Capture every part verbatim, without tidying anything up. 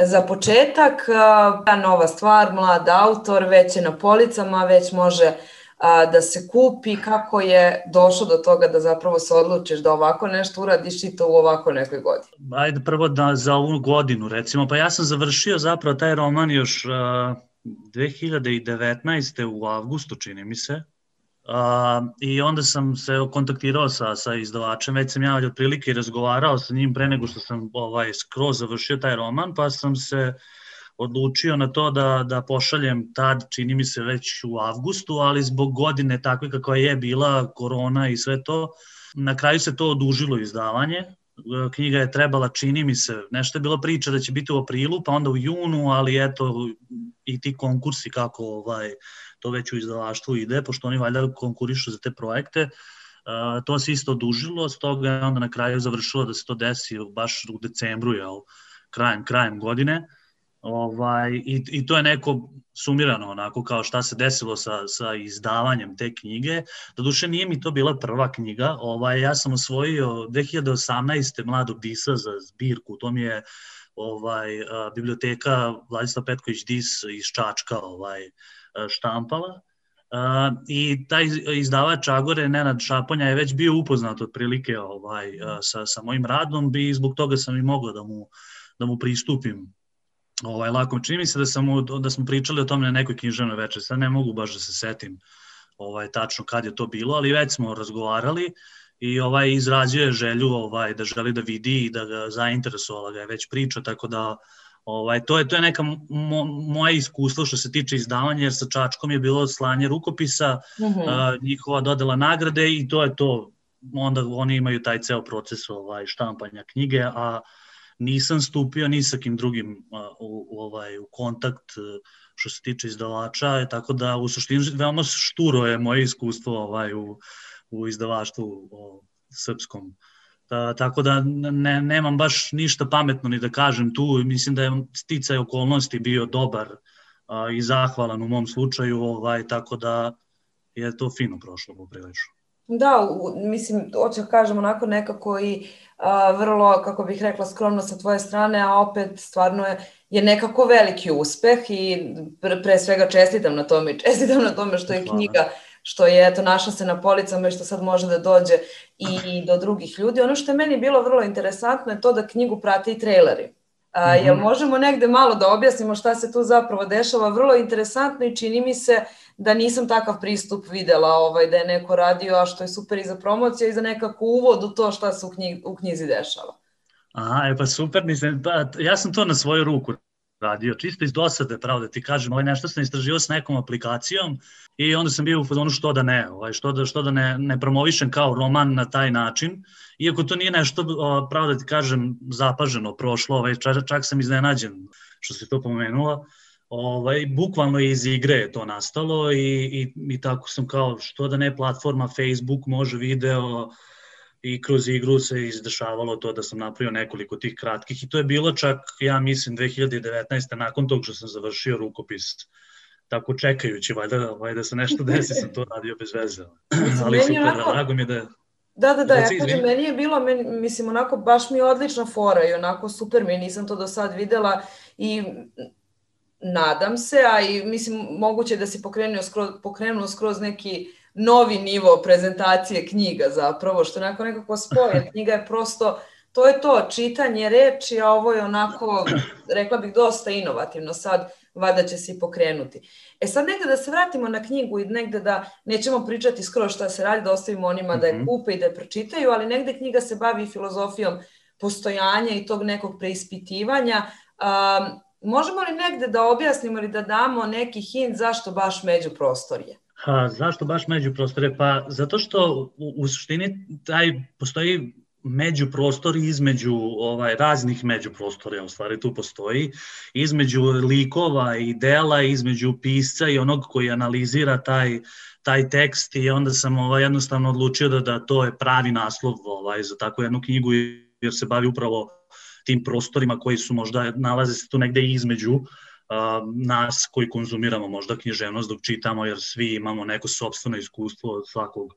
za početak, ta nova stvar, mlad autor, već je na policama, već može da se kupi, kako je došlo do toga da zapravo se odlučiš da ovako nešto uradiš i to u ovako nekoj godini? Ajde prvo da za ovu godinu recimo, pa ja sam završio zapravo taj roman još dve hiljade devetnaeste. u avgustu, čini mi se, i onda sam se kontaktirao sa, sa izdavačem, već sam ja otprilike razgovarao sa njim pre nego što sam ovaj, skroz završio taj roman, pa sam se odlučio na to da, da pošaljem tad, čini mi se već u avgustu, ali zbog godine takve kakva je bila, korona i sve to, na kraju se to odužilo izdavanje. Knjiga je trebala, čini mi se, nešto je bilo priča da će biti u aprilu, pa onda u junu, ali eto i ti konkursi kako ovaj, to već u izdavaštvu ide, pošto oni valjda konkurišu za te projekte, to se isto odužilo, s toga je onda na kraju završilo da se to desi baš u decembru, jel, krajem, krajem godine. Ovaj, i, i to je neko sumirano onako kao šta se desilo sa, sa izdavanjem te knjige. Doduše nije mi to bila prva knjiga, ovaj, ja sam osvojio dve hiljade osamnaeste. Mladog Disa za zbirku, to mi je ovaj, a, biblioteka Vladislav Petković Dis iz Čačka ovaj, štampala. A, i taj izdavač Agore, Nenad Šaponja, je već bio upoznat otprilike ovaj, a, sa, sa mojim radom i zbog toga sam i mogao da mu, da mu pristupim Ovaj, lako. Čini mi se da, sam, da smo pričali o tome na nekoj književnoj večeri, sad ne mogu baš da se setim ovaj, tačno kad je to bilo, ali već smo razgovarali i ovaj, izrazio je želju ovaj, da želi da vidi i da ga zainteresovala ga je već priča, tako da ovaj, to, je, to je neka mo, moje iskustvo što se tiče izdavanja, jer sa Čačkom je bilo slanje rukopisa, mm-hmm. a, njihova dodela nagrade i to je to, onda oni imaju taj ceo proces ovaj, štampanja knjige, a nisam stupio ni sa kim drugim u, u, ovaj, u kontakt što se tiče izdavača, tako da u suštini veoma šturo je moje iskustvo ovaj, u, u izdavaštvu o, srpskom. Ta, tako da ne, nemam baš ništa pametno ni da kažem tu, mislim da je sticaj okolnosti bio dobar a, i zahvalan u mom slučaju, ovaj, tako da je to fino prošlo poprilično. Da, mislim, hoću da kažem onako nekako i a, vrlo, kako bih rekla, skromno sa tvoje strane, a opet stvarno je, je nekako veliki uspeh i pre, pre svega čestitam na tome i čestitam na tome što je knjiga, što je eto našla se na policama i što sad može da dođe i do drugih ljudi. Ono što je meni bilo vrlo interesantno je to da knjigu prate i trejleri. A, jel možemo negde malo da objasnimo šta se tu zapravo dešava? Vrlo interesantno i čini mi se da nisam takav pristup videla, ovaj, da je neko radio, a što je super i za promociju i za nekako uvod u to šta se u, knjig, u knjizi dešava. Aha, e pa super, mislim, pa, ja sam to na svoju ruku radio, čisto iz dosade, pravo da ti kažem, ovaj, nešto sam istraživao s nekom aplikacijom i onda sam bio u fazonu što da ne, ovaj, što da, što da ne, ne promovišem kao roman na taj način, iako to nije nešto, pravo da ti kažem, zapaženo prošlo, ovaj, čak, čak sam iznenađen što si to pomenula. Ovaj, bukvalno iz igre je to nastalo i, i, i tako sam kao što da ne platforma Facebook može video i kroz igru se izdešavalo to da sam napravio nekoliko tih kratkih i to je bilo čak, ja mislim, dve hiljade devetnaeste. nakon tog što sam završio rukopis, tako čekajući, valjda, valjda se nešto desi, sam to radio bez veze. Ali super, onako... drago mi je da... Da, da, da, ja kažem, meni je bilo, meni, mislim, onako, baš mi je odlična fora i onako super mi, nisam to do sad videla i nadam se, a i mislim, moguće da si pokrenuo skroz, pokrenuo skroz neki novi nivo prezentacije knjiga zapravo, što onako nekako spoje. Knjiga je prosto, to je to, čitanje reči, a ovo je onako, rekla bih, dosta inovativno sad, valjda će se i pokrenuti. E sad negde da se vratimo na knjigu i negde da nećemo pričati skroz šta se radi, da ostavimo onima da je kupe i da je pročitaju, ali negde knjiga se bavi filozofijom postojanja i tog nekog preispitivanja. Um, možemo li negde da objasnimo ili da damo neki hint zašto baš međuprostorje? Ha, zašto baš međuprostorje? Pa zato što u, u suštini taj postoji međuprostor između ovaj, raznih međuprostorja, u stvari tu postoji, između likova i dela, između pisca i onog koji analizira taj, taj tekst i onda sam ovaj, jednostavno odlučio da, da to je pravi naslov ovaj, za takvu jednu knjigu jer se bavi upravo tim prostorima koji su možda, nalaze se tu negde između uh, nas koji konzumiramo možda književnost dok čitamo, jer svi imamo neko sopstveno iskustvo od svakog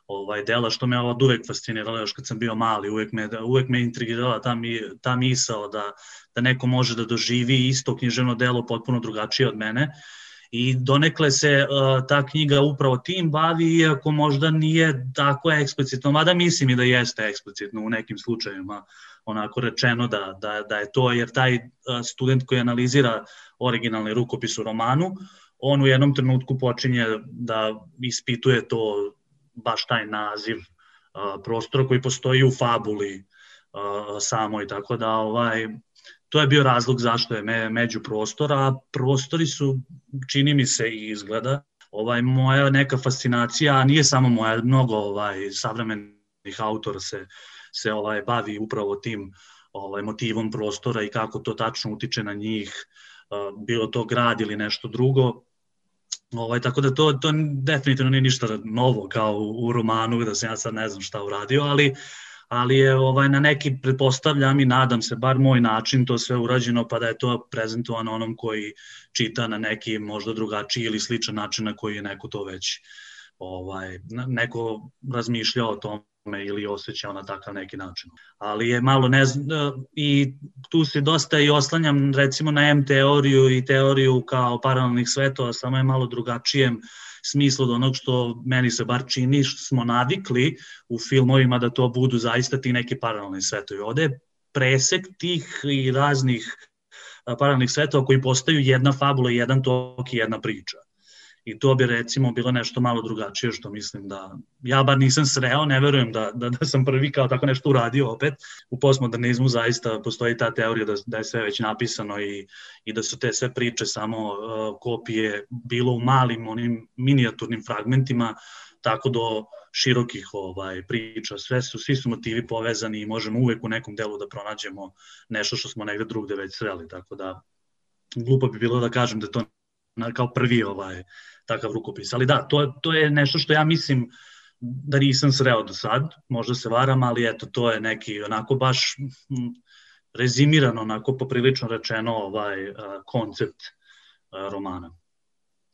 ovaj, dela, što me od uvek fasciniralo još kad sam bio mali, uvek me, uvek me intrigirala ta, mi, ta misao da, da neko može da doživi isto književno delo potpuno drugačije od mene. I donekle se uh, ta knjiga upravo tim bavi, iako možda nije tako eksplicitno, mada mislim i da jeste eksplicitno u nekim slučajima onako rečeno da, da, da je to, jer taj uh, student koji analizira originalni rukopis u romanu, on u jednom trenutku počinje da ispituje to, baš taj naziv uh, prostora koji postoji u fabuli uh, samoj, tako da ovaj... To je bio razlog zašto je me, međuprostor, a prostori su, čini mi se i izgleda, ovaj, moja neka fascinacija, a nije samo moja, mnogo ovaj, savremenih autora se, se ovaj, bavi upravo tim ovaj, motivom prostora i kako to tačno utiče na njih, uh, bilo to grad ili nešto drugo. Ovaj, tako da to, to definitivno nije ništa novo kao u, u romanu, da sam ja sad ne znam šta uradio, ali ali je ovaj, na neki, pretpostavljam i nadam se, bar moj način to sve urađeno, pa da je to prezentovano onom koji čita na neki možda drugačiji ili sličan način na koji je neko to već ovaj, neko razmišljao o tome ili osjećao na takav neki način. Ali je malo ne znam, i tu se dosta i oslanjam recimo na M teoriju i teoriju kao paralelnih svetova, samo je malo drugačijem smislu od onog što meni se bar čini, što smo navikli u filmovima da to budu zaista ti neki paralelni svetovi. Ovde je presek tih i raznih paralelnih svetova koji postaju jedna fabula, jedan tok i jedna priča. I to bi recimo bilo nešto malo drugačije što mislim da, ja bar nisam sreo, ne verujem da, da, da sam prvi kao tako nešto uradio opet. U postmodernizmu zaista postoji ta teorija da, da je sve već napisano i, i da su te sve priče samo uh, kopije bilo u malim onim minijaturnim fragmentima, tako do širokih ovaj, priča. Sve su, svi su motivi povezani i možemo uvek u nekom delu da pronađemo nešto što smo negde drugde već sreli, tako da glupo bi bilo da kažem da to kao prvi ovaj, takav rukopis. Ali da, to, to je nešto što ja mislim da nisam sreo do sad, možda se varam, ali eto, to je neki onako baš m, rezimirano, onako poprilično rečeno ovaj, koncept romana.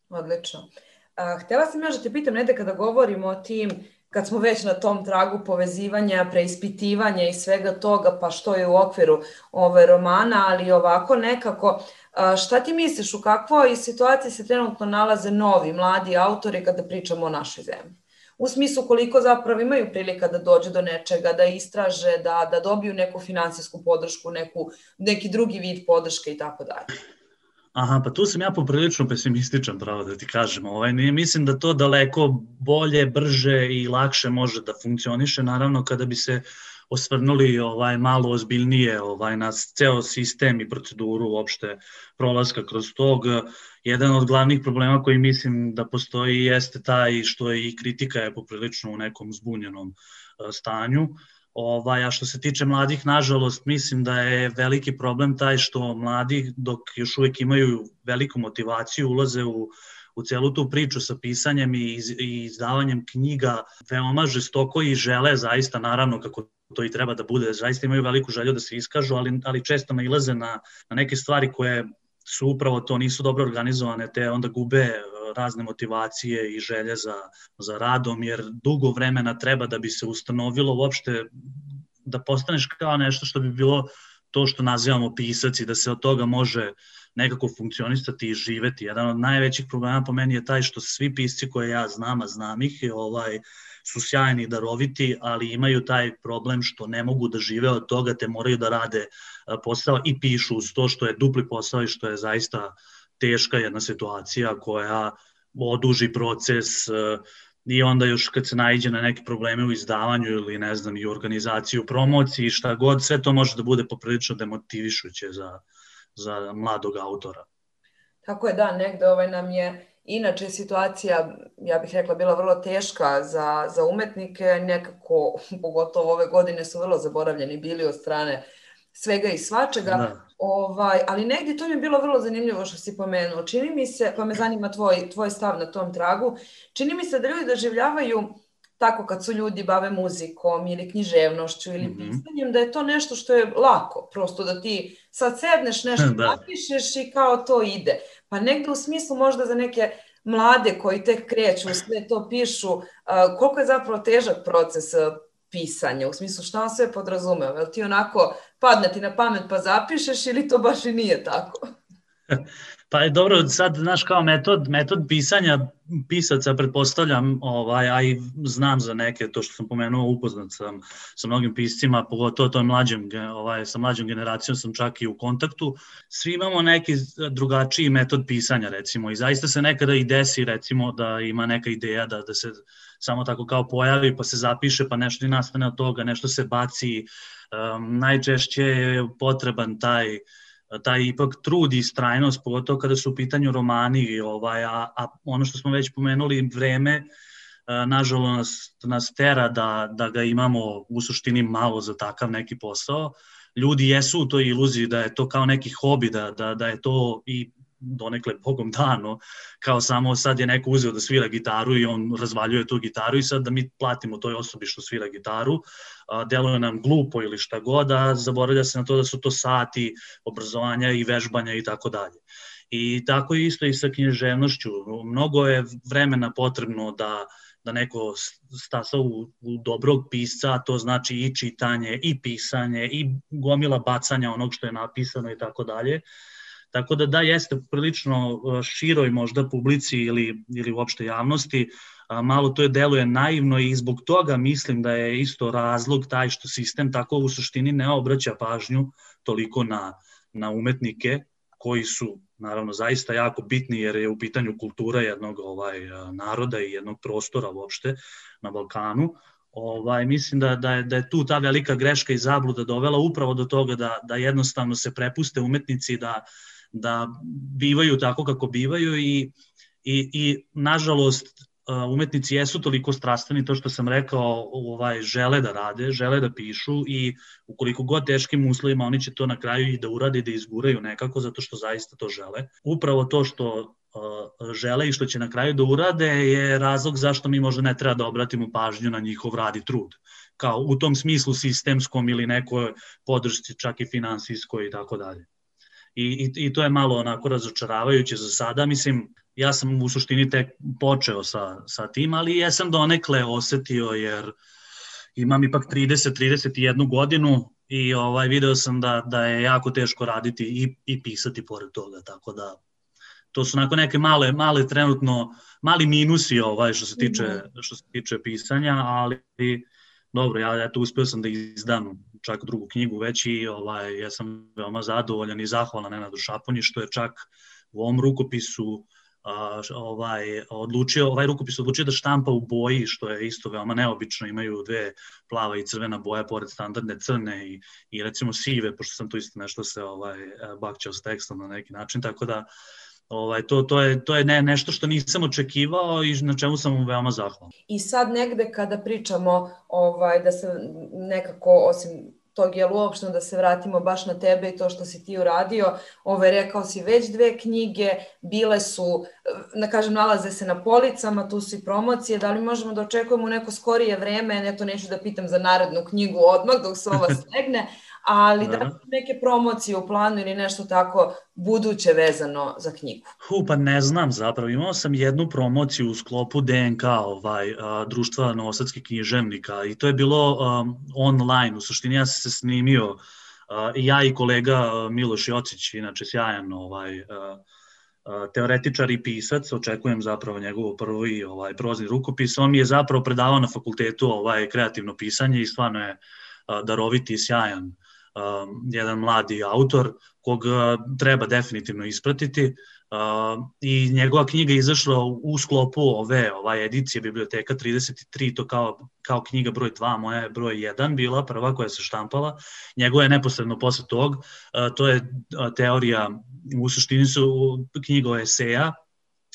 Odlično. A, htjela sam još da te pitam, Nede, kada govorimo o tim, kad smo već na tom tragu povezivanja, preispitivanja i svega toga, pa što je u okviru ove romana, ali ovako nekako, šta ti misliš, u kakvoj situaciji se trenutno nalaze novi, mladi autori kada pričamo o našoj zemlji? U smislu koliko zapravo imaju prilika da dođu do nečega, da istraže, da, da dobiju neku finansijsku podršku, neku, neki drugi vid podrške i tako dalje. Aha, pa tu sam ja poprilično pesimističan, pravo da ti kažem. Ovaj, mislim da to daleko bolje, brže i lakše može da funkcioniše, naravno kada bi se osvrnuli ovaj, malo ozbiljnije ovaj, na ceo sistem i proceduru uopšte prolaska kroz tog. Jedan od glavnih problema koji mislim da postoji jeste taj što je i kritika je poprilično u nekom zbunjenom stanju. Ovaj, a što se tiče mladih, nažalost, mislim da je veliki problem taj što mladi, dok još uvek imaju veliku motivaciju, ulaze u, u celu tu priču sa pisanjem i, iz, i izdavanjem knjiga veoma žestoko i žele zaista, naravno, kako to i treba da bude, zaista imaju veliku želju da se iskažu, ali, ali često nailaze na, na neke stvari koje su upravo to, nisu dobro organizovane, te onda gube razne motivacije i želje za, za radom, jer dugo vremena treba da bi se ustanovilo uopšte da postaneš kao nešto što bi bilo to što nazivamo pisac i da se od toga može nekako funkcionisati i živeti. Jedan od najvećih problema po meni je taj što svi pisci koje ja znam, a znam ih, ovaj, su sjajni i daroviti, ali imaju taj problem što ne mogu da žive od toga, te moraju da rade posao i pišu uz to što je dupli posao i što je zaista teška jedna situacija koja oduži proces i onda još kad se naiđe na neke probleme u izdavanju ili ne znam i u organizaciji, u promociji, šta god, sve to može da bude poprilično demotivišuće za, za mladog autora. Tako je, da, negde ovaj nam je inače situacija, ja bih rekla, bila vrlo teška za, za umetnike, nekako, pogotovo ove godine su vrlo zaboravljeni bili od strane svega i svačega, da. Ovaj, ali negdje to mi je bilo vrlo zanimljivo što si pomenuo. Čini mi se, pa me zanima tvoj, tvoj stav na tom tragu, čini mi se da ljudi doživljavaju tako kad su ljudi bave muzikom ili književnošću ili mm-hmm. pisanjem, da je to nešto što je lako, prosto da ti sad sedneš nešto da. napišeš i kao to ide. Pa negdje u smislu možda za neke mlade koji tek kreću, sve to pišu, koliko je zapravo težak proces pisanja, u smislu šta on sve podrazumeva, jel ti onako padne ti na pamet pa zapišeš ili to baš i nije tako? Pa je dobro, sad, znaš, kao metod, metod pisanja pisaca, pretpostavljam, ovaj, a i znam za neke, to što sam pomenuo, upoznat sam sa mnogim piscima, pogotovo to mlađem, ovaj, sa mlađom generacijom sam čak i u kontaktu. Svi imamo neki drugačiji metod pisanja, recimo, i zaista se nekada i desi, recimo, da ima neka ideja da, da se samo tako kao pojavi, pa se zapiše, pa nešto i nastane od toga, nešto se baci. Um, najčešće je potreban taj taj ipak trud i istrajnost, pogotovo kada su u pitanju romani, ovaj, a, a ono što smo već pomenuli, vreme, nažalost nas, nas tera da, da ga imamo u suštini malo za takav neki posao. Ljudi jesu u toj iluziji da je to kao neki hobi, da, da, da je to i donekle bogom dano, kao samo sad je neko uzeo da svira gitaru i on razvaljuje tu gitaru i sad da mi platimo toj osobi što svira gitaru, deluje nam glupo ili šta god, a zaboravlja se na to da su to sati obrazovanja i vežbanja i tako dalje. I tako je isto i sa književnošću. Mnogo je vremena potrebno da, da neko stasa u, u dobrog pisca, to znači i čitanje, i pisanje, i gomila bacanja onog što je napisano i tako dalje. Tako da da, jeste prilično široj možda publici ili, ili uopšte javnosti, malo to je deluje naivno i zbog toga mislim da je isto razlog taj što sistem tako u suštini ne obraća pažnju toliko na, na umetnike koji su naravno zaista jako bitni jer je u pitanju kultura jednog ovaj, naroda i jednog prostora uopšte na Balkanu. Ovaj, mislim da, da, je, da je tu ta velika greška i zabluda dovela upravo do toga da, da jednostavno se prepuste umetnici da da bivaju tako kako bivaju i, i, i nažalost umetnici jesu toliko strastveni, to što sam rekao, ovaj, žele da rade, žele da pišu i ukoliko god teškim uslovima oni će to na kraju i da urade i da izguraju nekako zato što zaista to žele. Upravo to što uh, žele i što će na kraju da urade je razlog zašto mi možda ne treba da obratimo pažnju na njihov rad i trud. Kao u tom smislu sistemskom ili nekoj podršci čak i finansijskoj i tako dalje. I, i, i to je malo onako razočaravajuće za sada. Mislim, ja sam u suštini tek počeo sa, sa tim, ali jesam donekle osetio jer imam ipak trideset trideset jednu godinu i ovaj, video sam da, da je jako teško raditi i, i pisati pored toga, tako da to su onako neke male, male trenutno, mali minusi ovaj, što se tiče, što se tiče pisanja, ali dobro, ja eto, uspeo sam da izdam čak drugu knjigu već i ovaj, ja sam veoma zadovoljan i zahvalan Nenadu Šaponji što je čak u ovom rukopisu a, ovaj, odlučio, ovaj rukopis odlučio da štampa u boji, što je isto veoma neobično, imaju dve plava i crvena boja pored standardne crne i, i recimo sive, pošto sam tu isto nešto se ovaj, bakćao s tekstom na neki način, tako da Ovaj, to, to je, to je ne, nešto što nisam očekivao i na čemu sam veoma zahvalan. I sad negde kada pričamo ovaj, da se nekako, osim tog jel uopšteno da se vratimo baš na tebe i to što si ti uradio, ovaj, rekao si već dve knjige, bile su, da kažem, nalaze se na policama, tu su i promocije, da li možemo da očekujemo neko skorije vreme, ne to neću da pitam za narednu knjigu odmah dok se ova slegne, ali da li neke promocije u planu ili nešto tako buduće vezano za knjigu? Hu, pa ne znam zapravo. Imao sam jednu promociju u sklopu D N K, ovaj, a, društva novosadskih književnika i to je bilo um, online. U suštini ja sam se snimio a, i ja i kolega a, Miloš Jocić, inače sjajan ovaj, a, a, teoretičar i pisac, očekujem zapravo njegovo prvi ovaj, prozni rukopis. On mi je zapravo predavao na fakultetu ovaj, kreativno pisanje i stvarno je a, daroviti i sjajan. Um, jedan mladi autor kog treba definitivno ispratiti uh, i njegova knjiga je izašla u sklopu ove ovaj edicije Biblioteka trideset tri, to kao, kao knjiga broj dva, moja je broj jedan bila, prva koja se štampala, njegova je neposredno posle tog, uh, to je teorija, u suštini su knjiga o eseja,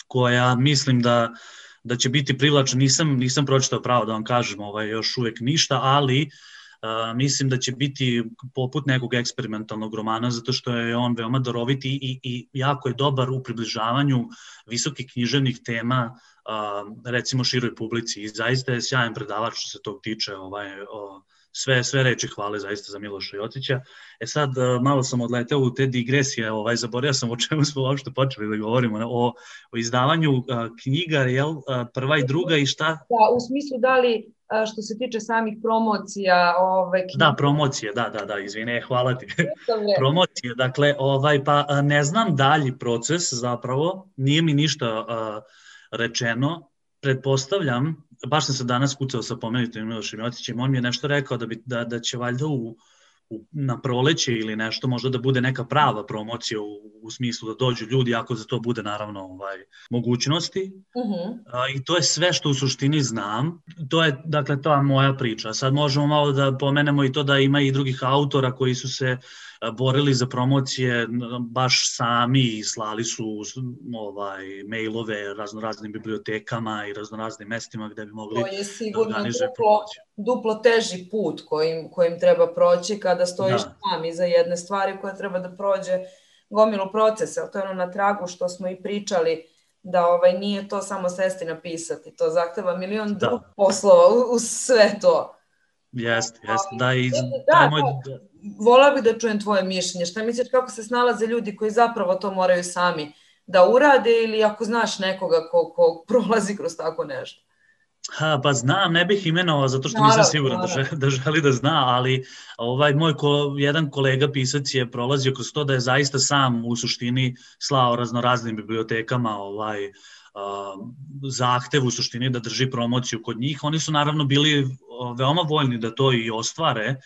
koja mislim da da će biti privlačna, nisam, nisam pročitao pravo da vam kažem ovaj, još uvek ništa, ali Uh, mislim da će biti poput nekog eksperimentalnog romana zato što je on veoma daroviti i, i jako je dobar u približavanju visokih književnih tema uh, recimo široj publici i zaista je sjajan predavač što se tog tiče ovaj, o, sve, sve reči hvale zaista za Miloša Jocića. E sad uh, malo sam odleteo u te digresije, ovaj, zaboravio sam o čemu smo uopšte počeli da govorimo, o, o izdavanju uh, knjiga, jel, uh, prva i druga i šta? Da, u smislu da li što se tiče samih promocija ove knjige. Da, promocije, da, da, da, izvine, hvala ti. Promocije, dakle, ovaj, pa ne znam dalji proces zapravo, nije mi ništa uh, rečeno, pretpostavljam, baš sam se danas kucao sa pomenutim Milošem Jotićem, on mi je nešto rekao da, bi, da, da će valjda u, u, na proleće ili nešto, možda da bude neka prava promocija u, u smislu da dođu ljudi, ako za to bude naravno ovaj, mogućnosti. Uh-huh. A, i to je sve što u suštini znam. To je, dakle, to je moja priča. Sad možemo malo da pomenemo i to da ima i drugih autora koji su se borili za promocije baš sami i slali su ovaj, mailove raznoraznim bibliotekama i raznoraznim mestima gde bi mogli da organizuju promociju. Duplo teži put kojim, kojim treba proći kada stojiš da. Sam iza jedne stvari koja treba da prođe gomilu procesa. To je ono na tragu što smo i pričali, da ovaj, nije to samo sesti napisati, to zahteva milion da. drugih poslova uz sve to. Jeste, jeste, da, i da, taj moj... Da, volao bih da čujem tvoje mišljenje. Šta misliš kako se snalaze ljudi koji zapravo to moraju sami da urade ili ako znaš nekoga ko, ko prolazi kroz tako nešto? Ha, pa znam, ne bih imenovao zato što nisam siguran da želi, da želi da zna, ali ovaj moj ko, jedan kolega pisac je prolazio kroz to da je zaista sam u suštini slao raznoraznim bibliotekama ovaj, uh, zahtev u suštini da drži promociju kod njih. Oni su naravno bili veoma voljni da to i ostvare,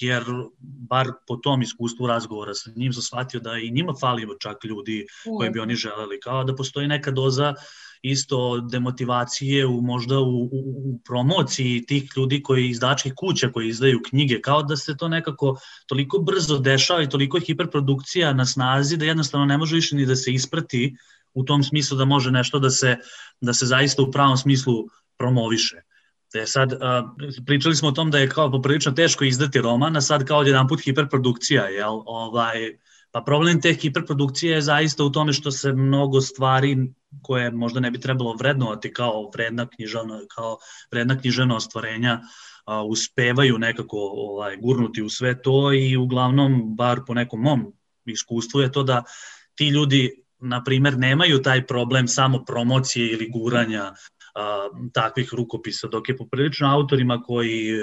jer bar po tom iskustvu razgovora sa njim sam shvatio da i njima fali čak ljudi koji bi oni želeli, kao da postoji neka doza isto demotivacije u možda u, u, u promociji tih ljudi koji izdačkih kuća koji izdaju knjige, kao da se to nekako toliko brzo dešava i toliko je hiperprodukcija na snazi da jednostavno ne može više ni da se isprati u tom smislu da može nešto da se, da se zaista u pravom smislu promoviše. Te sad, a, pričali smo o tom da je kao poprilično teško izdati roman, a sad kao jedan put hiperprodukcija, jel? Ovaj, pa problem te hiperprodukcije je zaista u tome što se mnogo stvari koje možda ne bi trebalo vrednovati kao vredna književna, kao vredna književna ostvarenja a, uspevaju nekako ovaj, gurnuti u sve to i uglavnom, bar po nekom mom iskustvu je to da ti ljudi, na primer, nemaju taj problem samo promocije ili guranja a, takvih rukopisa, dok je poprilično autorima koji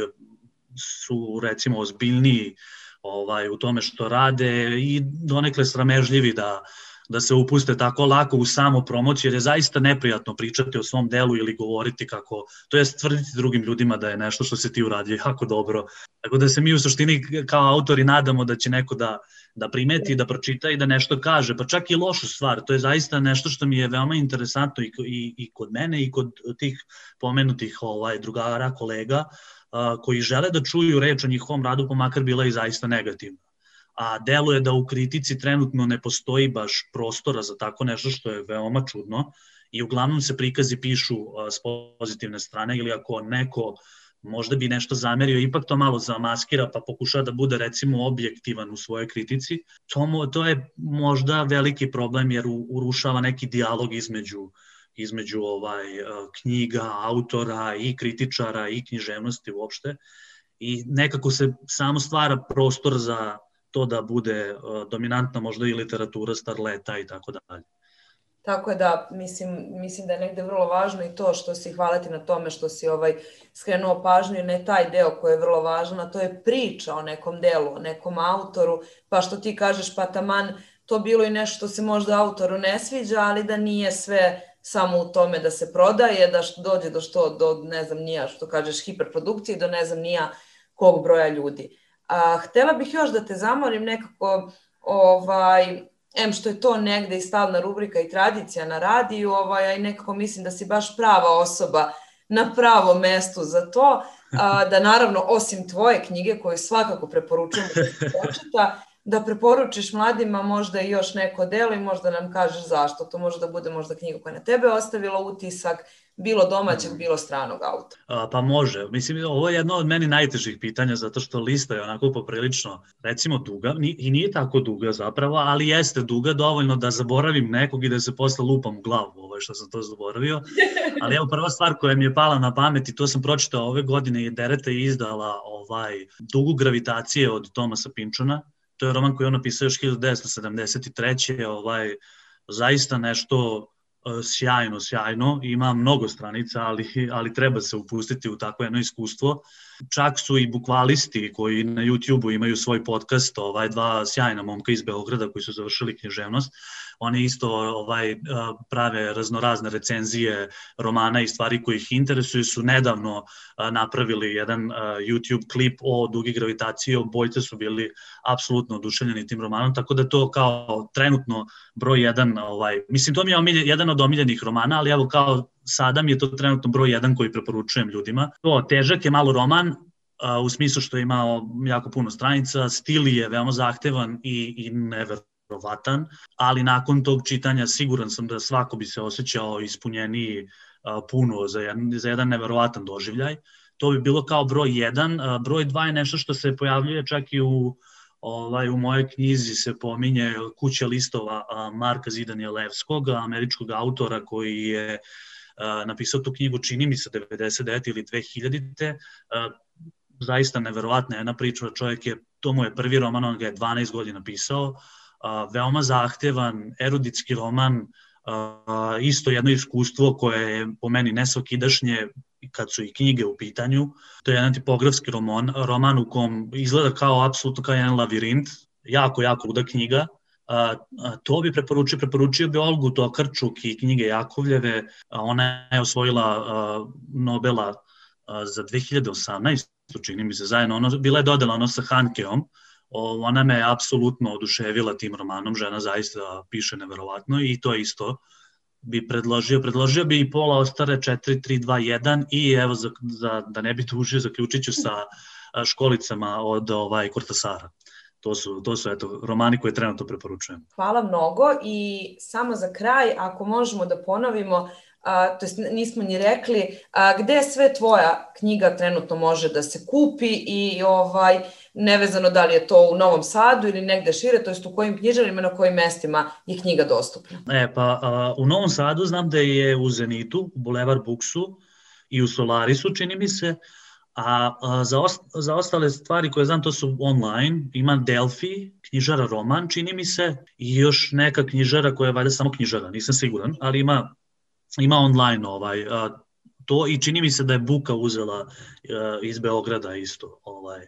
su recimo ozbiljniji ovaj, u tome što rade i donekle sramežljivi da, da se upuste tako lako u samu promociju, jer je zaista neprijatno pričati o svom delu ili govoriti kako, to jest tvrditi drugim ljudima da je nešto što se ti uradio jako dobro. Tako da se mi u suštini kao autori nadamo da će neko da, da primeti, da pročita i da nešto kaže, pa čak i lošu stvar. To je zaista nešto što mi je veoma interesantno i, i, i kod mene i kod tih pomenutih ovaj, drugara, kolega, koji žele da čuju reč o njihovom radu, pa makar bila i zaista negativna. A deluje da u kritici trenutno ne postoji baš prostora za tako nešto što je veoma čudno i uglavnom se prikazi pišu s pozitivne strane ili ako neko možda bi nešto zamerio, ipak to malo zamaskira pa pokuša da bude recimo objektivan u svojoj kritici. To, to je možda veliki problem jer urušava neki dijalog između između ovaj, knjiga, autora i kritičara i književnosti uopšte i nekako se samo stvara prostor za to da bude dominantna možda i literatura starleta i tako dalje. Tako je da, mislim, mislim da je negde vrlo važno i to što si, hvala ti na tome što si ovaj, skrenuo pažnju, ne taj deo koji je vrlo važan, a to je priča o nekom delu, o nekom autoru, pa što ti kažeš pa taman to bilo i nešto što se možda autoru ne sviđa, ali da nije sve samo u tome da se prodaje, da što dođe do što, do ne znam nija, što kažeš, hiperprodukcije, do ne znam nija kog broja ljudi. A, htela bih još da te zamolim nekako, ovaj, em što je to negde i stalna rubrika i tradicija na radiju, ovaj, a i nekako mislim da si baš prava osoba na pravom mestu za to, a, da naravno osim tvoje knjige koju svakako preporučujem da se pročita, da preporučiš mladima možda i još neko delo i možda nam kažeš zašto. To može da bude možda knjiga koja na tebe ostavila utisak, bilo domaćeg, bilo stranog autora. A, pa može. Mislim, ovo je jedno od meni najtežih pitanja, zato što lista je onako poprilično, recimo, duga, i nije tako duga zapravo, ali jeste duga dovoljno da zaboravim nekog i da se posle lupam u glavu, ovo što sam to zaboravio. Ali evo, prva stvar koja mi je pala na pamet, i to sam pročitao ove godine, je Dereta izdala ovaj, Dugu gravitacije od Tomasa Pynchona. To je roman koji je on napisao još hiljadu devetsto sedamdeset treće. Ovaj, zaista nešto sjajno, sjajno, ima mnogo stranica, ali, ali treba se upustiti u takvo jedno iskustvo. Čak su i bukvalisti koji na YouTube-u imaju svoj podcast, ovaj, dva sjajna momka iz Beograda koji su završili književnost. Oni isto ovaj, prave raznorazne recenzije romana i stvari koji ih interesuju. Su nedavno napravili jedan YouTube klip o Dugi gravitaciji, obojce su bili apsolutno oduševljeni tim romanom, tako da to kao trenutno broj jedan, ovaj, mislim to mi je omiljen, jedan od omiljenih romana, ali evo kao sada mi je to trenutno broj jedan koji preporučujem ljudima. To težak je malo roman, u smislu što je imao jako puno stranica, stil je veoma zahtevan i, i neverovatan, ali nakon tog čitanja siguran sam da svako bi se osjećao ispunjeniji puno za jedan, za jedan neverovatan doživljaj. To bi bilo kao broj jedan. Broj dva je nešto što se pojavljuje čak i u, ovaj, u mojoj knjizi se pominje Kuća listova Marka Zidanjelevskog, američkog autora koji je napisao tu knjigu, čini mi se devedeset devete ili dve hiljadite. Zaista neverovatna jedna priča, čovjek je, to mu je prvi roman, on ga je dvanaest godina pisao, veoma zahtevan, eruditski roman, isto jedno iskustvo koje je po meni nesvakidašnje kad su i knjige u pitanju. To je jedan tipografski roman, roman u kom izgleda kao apsolutno kao jedan lavirint, jako, jako luda knjiga. A, a, to bi preporučio, preporučio bi Olgu Tokarčuk i knjige Jakovljeve. A ona je osvojila a, Nobela a, za dve hiljade osamnaeste. Čini mi se zajedno, ono, bila je dodala ono sa Hankeom. O, ona me apsolutno oduševila tim romanom, žena zaista piše neverovatno i to isto bi predložio. Predložio bi i Pola Ostare četiri tri dva jedan i evo, za, za, da ne bi tužio, zaključit ću sa Školicama od ovaj, Kortasara. To su, to su eto, romani koje trenutno preporučujem. Hvala mnogo i samo za kraj, ako možemo da ponovimo, a, to jest nismo ni rekli, a, gde sve tvoja knjiga trenutno može da se kupi i ovaj, nevezano da li je to u Novom Sadu ili negde šire, to jest u kojim knjižarima, na kojim mestima je knjiga dostupna? E, pa a, u Novom Sadu znam da je u Zenitu, u Bulevar Buksu i u Solarisu, čini mi se, a, a za, ost, za ostale stvari koje znam to su online, ima Delfi, knjižara Roman, čini mi se, i još neka knjižara koja je valjda samo knjižara, nisam siguran, ali ima ima online ovaj, a, to i čini mi se da je Buka uzela a, iz Beograda isto. Ovaj.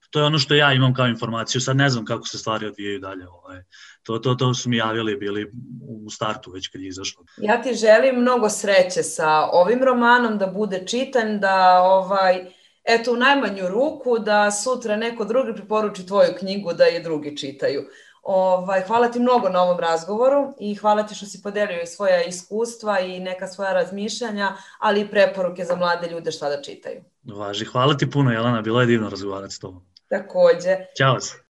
To je ono što ja imam kao informaciju, sad ne znam kako se stvari odvijaju dalje. Ovaj. To, to, to su mi javili bili u startu već kad je izašlo. Ja ti želim mnogo sreće sa ovim romanom, da bude čitan, da ovaj, eto u najmanju ruku da sutra neko drugi preporuči tvoju knjigu da je drugi čitaju. Ovaj, hvala ti mnogo na ovom razgovoru i hvala ti što si podelio i svoja iskustva i neka svoja razmišljanja, ali i preporuke za mlade ljude šta da čitaju. Važi, hvala ti puno, Jelena, bilo je divno razgovarati s tobom. Takođe. Ćao se.